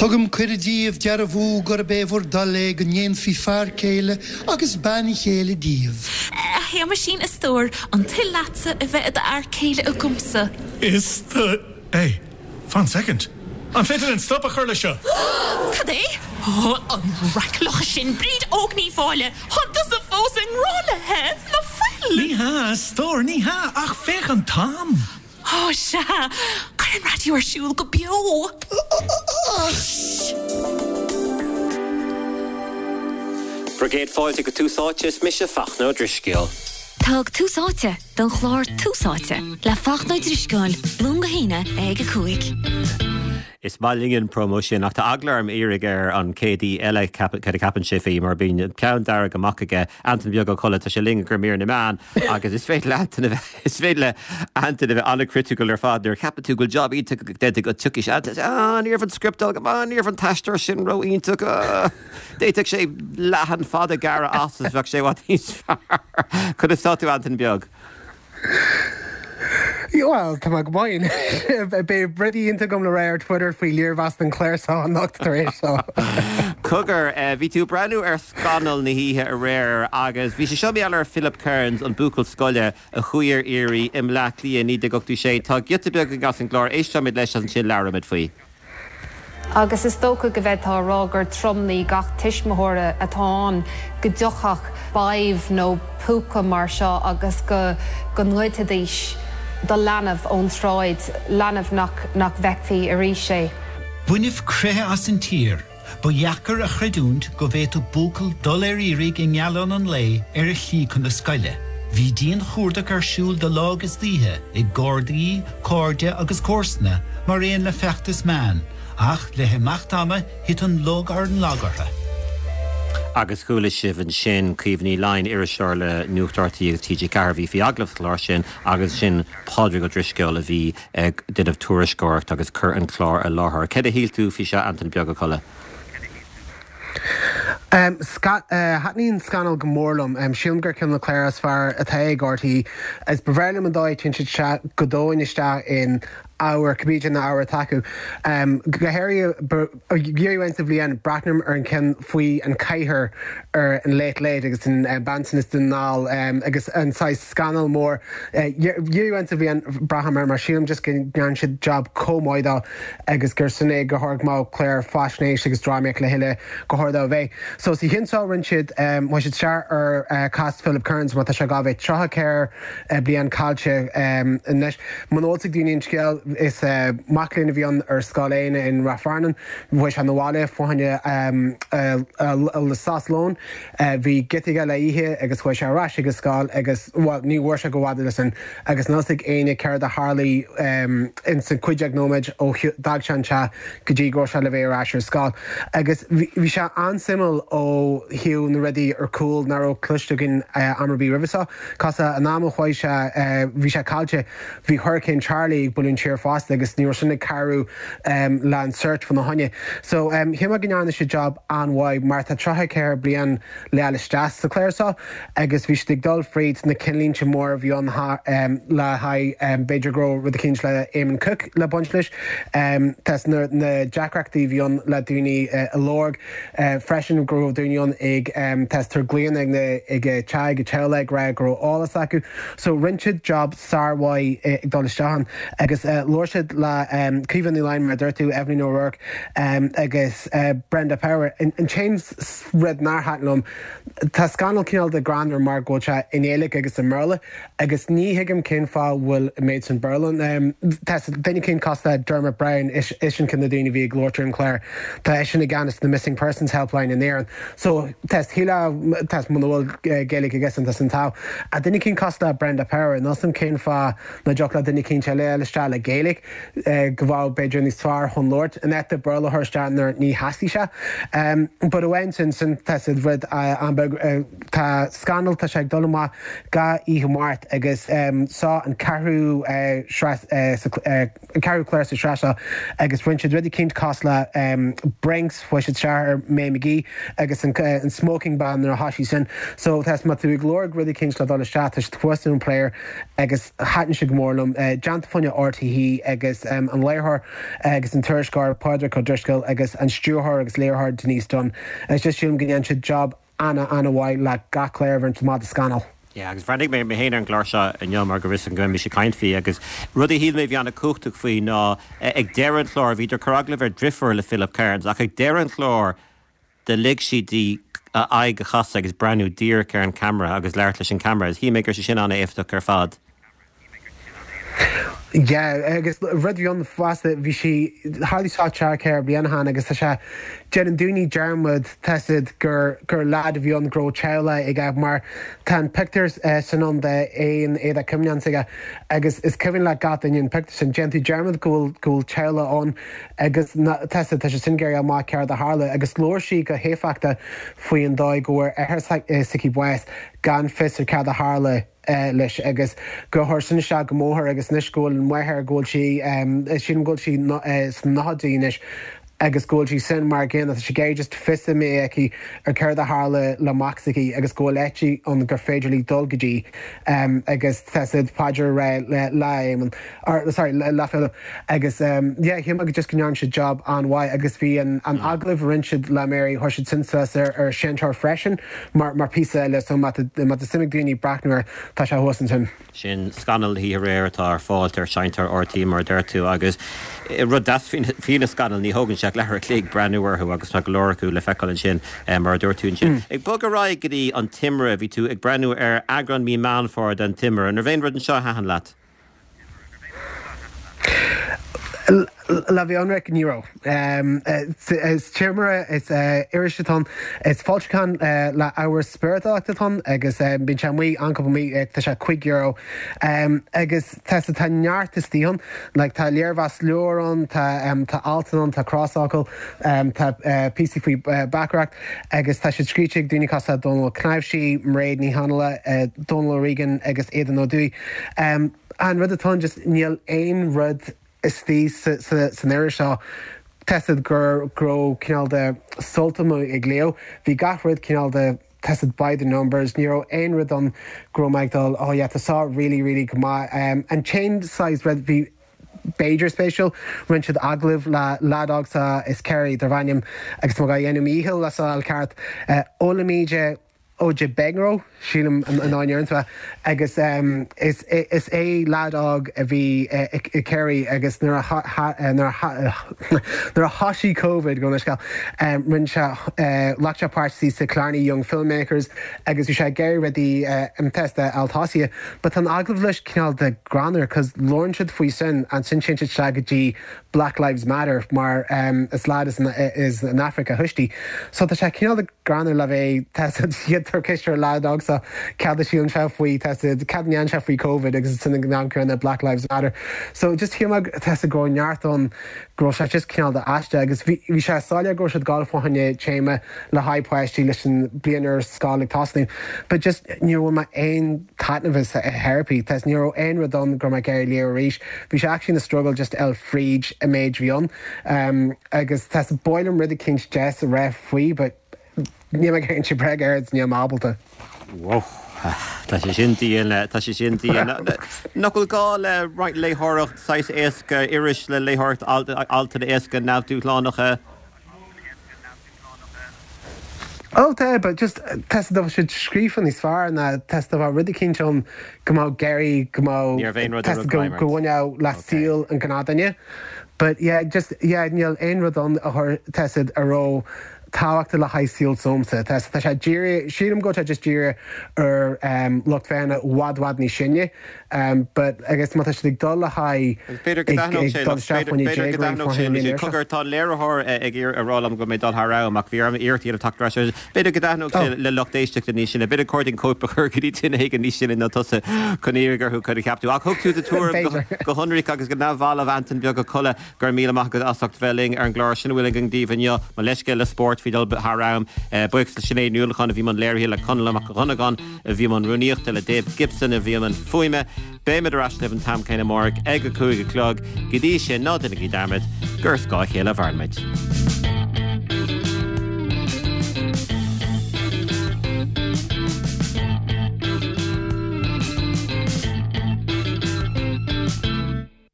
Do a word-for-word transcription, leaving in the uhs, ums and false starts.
Tugaim cuireadh daoibh dearbhú gurb é bhur dtoil é go ndéanfaí fear céile agus bean chéile díobh. A Shéamaisín a stór, an toil leatsa a bheith i d'fhear céile agamsa. Is the Hey, fan second. An féidir linn stop a chur le seo? Cad é? Ó, an raic sin Bríd Óg Ní Mháille, Tá tusa fós i ngrá léi ná fuil. Ní hea, a stór, ní hea, ach féach an t-am. Ó sea, Cuir an raidió ar siúl go beo. Bhur gcéad fáilte go Tús Áite is mise Fachtna Ó Drisceoil. Tá Tús Áite don chlár Tús Áite le Fachtna Ó Drisceoil, Luan go hAoine ag a cúig. Is maith linn an promo sin ach tá eagla orm iarraidh ar an chéad aoi eile cad a cheapann sé faoi mar bíonn ceann dearg amach aige Antain Beag Ó Colla tá sé linn gur mír na meán agus is féidir le Antain is féidir le Antain a bheith an-criticiúil ar fad nuair cheapann tú go job iontach déanta go tiocfaidh sé ah, ní raibh an script go maith ní raibh an t-aisteoir sin ró-iontach D'fhéadfadh sé leathan fada gearradh as is bheadh sé i bhfad níos fearr. Conas tá tú Antain Beag. Well tá go maith beidh rudaí iontacha agam le rá ar Twitter faoi léirmheas an chlár seo anocht tar éis seo. Cogar bhí tú breathnú ar scannal na hoíche aréir agus bhí sé seo mé ar Philip Kearns an buachaill scoile a chuaigh ar iarraidh i mBleá Cliath naoi déag ochtó sé Tá giota beag as an gclár éistfimid leis ansin labhróimid faoi. Agus is dócha go bhféadfá a rá gur tromnaí gach tuismitheora atá ann go dtiocfadh badhbh nó púca mar seo agus go go ngoidfidís do leanbh ón tsráid, leanbh nach nach bhfeicfí arís é. Baineadh croitheadh as an tír, ba dheacair a chreidiúint go bhféadfadh buachaill dul ar iarraidh i ngealán an lae ar a shlí chun na scoile. Bhí dianchuardach ar siúl de lá agus d'oíche ag Gardaí, cairde agus comharsana mar aon le feachtas meán, ach le himeacht ama thit an lug ar an lag orthu. Agus chuala sibh ansin Caoimhe Ní Laighin iriseoir le Nuacht RTÉ agus TG Ceathair bhí faoi agallamh sa chlár sin agus sin Pádraig Ó Drisceoil a bhí ag déanamh tuairisceoireacht agus cur an clár i láthair. Cad a shíl tú faoi seo Antain Beag Ó Colla? Um, uh, Thaitníonn Scannal go mór liom um, sílim gur ceann de na cláir is fearr atá ag RTÉ is ba bhreá liom an dóigh téann siad go domhain isteach in ábhar cibé na ábhair atá acu. Um, go háirithe sa bhliain breathnaím ar an ceann faoi an cathair ar an Late Late agus an uh, bean is den ná um, agus an saghas scannal mór uh, sa bhliain braithim mar sílim just go ndearna siad job chomh maith dó agus gur sin é go háirithe má chlár faisnéis agus drámaíocht le chéile go háirithe a bheith. So sa cheann seo rinne siad um, siad sear ar uh, cás Philip Kearns má tá sé gabh tríocha ceathair uh, bliain caillte um, anois. Manósa daoine an scéal is uh, mac léinn a bhí ann ar Scoil Éanna in Rath Fearnáin, bhí sé na bhaile fáinne um, uh, uh, le sos lóin, uh, bhí giota le ithe agus chuaigh sé ar ais ag an scoil agus well, ní bhfuair sé go bhfada leis agus níl a fhios ag éinne céard a tharla um, in san cúig déag nóiméad ó d'fhág sé an teach go dtí go sé le bheith ar ais ar scoil. Agus bhí sé an-suimiúil ó thaobh na rudaí ar cúl nach raibh cloiste againn uh, am ar bith roimhe seo. Cos an am a chuaigh sé uh, bhí sé caillte bhí Hurricane Charlie ag bualadh an tír fosta agus ní sin ag cabhrú um, le an search fan na haine. So um, shíl mé go ndearna sé job an-mhaith mar tá tríocha ceathair bliain le isteach sa chlár seo agus bhí ag dul fríd na cinnlínte mór bhí an um, le haghaidh um, b'fhéidir go rud eicínt le Eamon Cooke le baint leis. Um, Tá na, na deacrachtaí bhí ann le daoine uh, a lorg uh, freisin go raibh daoine ann ag um, test glíon ag na ag te ag teleg ra go eolas acu. So rinne siad job sármhaith ag dul isteach agus uh, labhair siad le um, Caoimhe Ní Laighin mar dúirt tú Evelyn O'Rourke um, agus uh, Brenda Power. An, an t-aon rud nár thaitin liom Tá Scannal cineál de greannmhar mar go bhfuil sé i nGaeilge agus i mBéarla agus ní thuigim cén fáth bhfuil méid san Béarla. Um, duine eicínt cosúil le Dermot Browne is, is sin ceann de na daoine bhí ag labhairt ar an chlár. Tá eisean i gceannas na Missing Persons Helpline in Éirinn. So test híle test muna bhfuil Gaeilge agus an an tá. A duine eicínt cosúil le Brenda Power ná san cén fáth nach dtiocfadh le duine eicínt eile isteach le Gaeilge go bhfuil b'fhéidir níos fearr chun labhairt an ete Béarla thuirstean ní hasí se. Um, but amháin sin sin tá rud an tá Scannal tá sé ag dul amach gach oíche Máirt agus um, seo an ceathrú uh, uh, an ceathrú clár sa sraith agus rinne siad rudaí eicínt cosúil le um, Brinks chuaigh siad isteach ar May McGee agus an, uh, an smoking ban nuair a thosaigh sin. So tá má tú ag lorg rudaí eicínt le dul isteach thuas an player agus thaitin sé go mór liom uh, déanta fá choinne RTÉ aici agus um, an léiritheoir agus an tuairisceoir Pádraig Ó Drisceoil agus an stiúrthóir agus léiritheoir Denise Dunne. Is just sílim go ndéanann siad job ana ana-mhaith le gach clár a bhíonn amach de Scannal. Yeah, agus bhreathnaigh mé mé féin ar an gclár seo inniu mar go raibh go mbeidh sé caint faoi agus rud a shíl mé bhí an-chumhachtach faoi ná ag deireadh an chláir bhíodar ag cur agallamh ar deirfiúr le Philip Kearns ach ag deireadh an chláir do lig sí di a aghaidh a chasadh agus breathnú díreach ar an camera agus labhairt leis an camera. Shíl mé gur sé sin an-éifeachtach ar fad. Yeah, agus rud bhí an fosta bhí sí tharla seo ceithre bliana ó shin agus tá sé déanann daoine dearmad tá a fhios agat gur gur leaid a bhí ann go raibh teaghlach aige mar tá an pictiúr uh, san an de aon éada cuimneán aige agus is cuimhin le gach duine an pictiúr sin déanann tú dearmad go bhfuil go bhfuil teaghlach ann agus tá a fhios agat tá sé sin géar amach ceard a tharla agus labhair sí go héifeachtach faoi an dóigh go bhfuair athair s'aici bás gan fios ar cad a tharla uh, leis agus go chuir sin isteach go mór agus anois go bhfuil an mháthair go bhfuil sí sin go bhfuil sí sna nóchaidí anois agus go bhfuil sí sin mar gcéanna sé gé just fios mé aici ar céard a tharla le mac s'aici agus go bhfuil áit ann gur féidir léi dul go dtí um, agus tá siad paidir le le or sorry le le agus um, yeah, shíl mé just go ndearna siad job an-mhaith agus bhí an, an mm. agallamh rinne siad le Mary chuir siad sin suas ar ar Seinnteoir freisin mar mar píosa eile so má má suim ag daoine breathnú air tá sé thuas ansin. Sin Scannal oíche aréir atá ar fáil ar Seinnteoir RTÉ mar deir tú agus rud deas faoi na scannail ní thógann sé leathuair an chloig breathnú orthu agus tá go leor acu le feiceáil ansin mar a dúirt tú ansin. Mm. Ag bogadh ar aghaidh go dtí an Timire bhí tú ag breathnú ar eagrán mí Meán Fómhair den Timire, an raibh aon rud anseo a thaitin leat? Le bheith ionraic ní raibh. Is Timire is iris atá ann is foilseachán le ábhar spioradálta atá ann agus bíonn sé amuigh an cúpla mí tá sé cúig euro agus tá tá neart istigh ann, like tá léirmheas leabhar ann, tá tá alt ann, tá crosfhocal, tá píosaí faoi bhacaireacht agus tá siad scríte ag daoine cosúil le Dónal Ó Cnáimhsí, Mairéad Ní Chonghaile, Dónal O'Regan agus Aidan Ó Dúill. An rud atá just níl aon rud istigh san iris seo tá a fhios agat gur go raibh cineál de sult ag léamh. Bhí gach rud cineál de tá a fhios agat by the numbers, ní raibh aon rud ann go raibh mé ag dul oh yeah, tá seo really really go maith. Um, an t-aon saghas rud bhí b'fhéidir spéisiúil rinne siad agallamh le leaid óg sa is Kerry darb ainm agus má dhéanaim íhil le sa ceart uh, Olamide Ojebegro sílim an áinirtha agus um, is, is é leaid óg a bhí i Kerry agus nuair nuair a thosaigh COVID go sce um, rinne sé uh, ghlac sé páirt sa Killarney Young Filmmakers agus bhí sé ag iarraidh rudaí uh, an test altásia, but an agallamh leis cineál de greannmhar cos labhrann siad faoi sin ansin téann sé go dtí Black Lives Matter mar um, is leaid is, is an Afraic a thuistí. So tá sé cineál de greannmhar le bheith iad ceist ar leaid óg seo cad a síleann sé faoi tá a fhios agat cad ndéan sé faoi COVID agus sin an na Black Lives Matter. So just shíl mé tá a fhios agat go neart ann go raibh sé just cineál de aisteach agus bhí sé soiléir go raibh siad ag dul fá choinne téama le haghaidh páistí leis an bliain ar scoil ag tosnú. But just ní raibh mé aon taitneamh a therapy, Tá ní raibh aon rud ann go raibh mé ag léamh arís. Bhí sé actually na struggle just el fríd a méid bhí ann. Um, agus tá b'áil liom rud eicínt deas a rá faoi, but ní me cén si breg air ní ábalta. Wow. Tá sé sin dian tá sé sin dian. Nach bhfuil gá le roinnt léitheoireacht saghas éasca iris le léitheoireacht altanna éasca neamhdhúshlánacha. Ó tá, but just tá a fhios agat siad scríofa níos fearr ná tá a fhios agat rud eicínt ann go mbeadh Gary go mbeadh go bhfuil le saol an gnáthdhuine. But yeah, just yeah, níl aon rud ann a chuir tá a fhios agat a raibh tábhachtach le haghaidh saol s'agamsa. Tá sé dírithe sílim go tá just dírithe ar um, lucht féachana i bhfad bhfad níos sine, um, but agus má tá siad ag dul le haghaidh B'fhéidir go dtaitneodh sé tá léiritheoir ag a rá liom go mbeidh dul thar am ach bhí orm iarracht a dhéanamh teacht B'fhéidir go dtaitneodh sé le lucht éisteachta níos sine, b'fhéidir cóip cóip a chur go dtí duine éigin níos sine ná tusa chun iarraidh orthu cad a cheap tú. Ach thug tú do tuairim go hionraic agus go neamhbhalbh Antain Beag Ó Colla gur míle maith agat as ucht bheith linn ar an gclár sin a bhfuil againn daoibh inniu mo leithscéal le spórt bhí dul thar am buíochas le Sinéad Ní Uallacháin a bhí i mbun léirithe le Conall Mac Dhonnagáin a bhí i mbun rúnaíochta le Dave Gibson a bhí i mbun fuaime, Beimid ar ais libh an t-am céanna amárach ag a cúig a chlog go dtí sin ná déanaigí dearmad gur ar scáth a chéile a mhairimid.